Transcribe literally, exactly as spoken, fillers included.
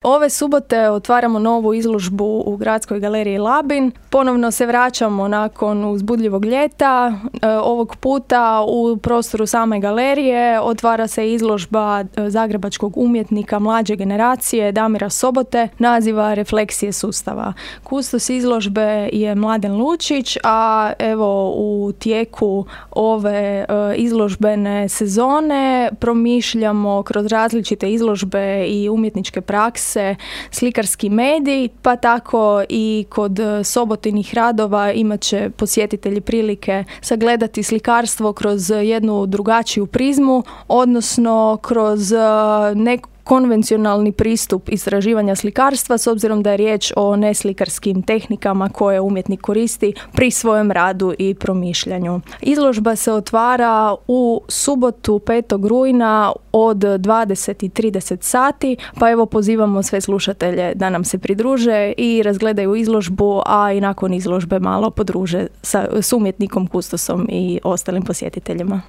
Ove subote otvaramo novu izložbu u Gradskoj galeriji Labin. Ponovno se vraćamo nakon uzbudljivog ljeta. E, ovog puta u prostoru same galerije otvara se izložba zagrebačkog umjetnika mlađe generacije Damira Sobote, naziva Refleksije sustava. Kustos izložbe je Mladen Lučić, a evo u tijeku ove e, izložbene sezone promišljamo kroz različite izložbe i umjetničke prakse slikarski medij, pa tako i kod Sobotinih radova imat će posjetitelji prilike sagledati slikarstvo kroz jednu drugačiju prizmu, odnosno kroz neku konvencionalni pristup istraživanja slikarstva, s obzirom da je riječ o neslikarskim tehnikama koje umjetnik koristi pri svojem radu i promišljanju. Izložba se otvara u subotu petog rujna od dvadeset i trideset sati, pa evo pozivamo sve slušatelje da nam se pridruže i razgledaju izložbu, a i nakon izložbe malo podruže sa, s umjetnikom, kustosom i ostalim posjetiteljima.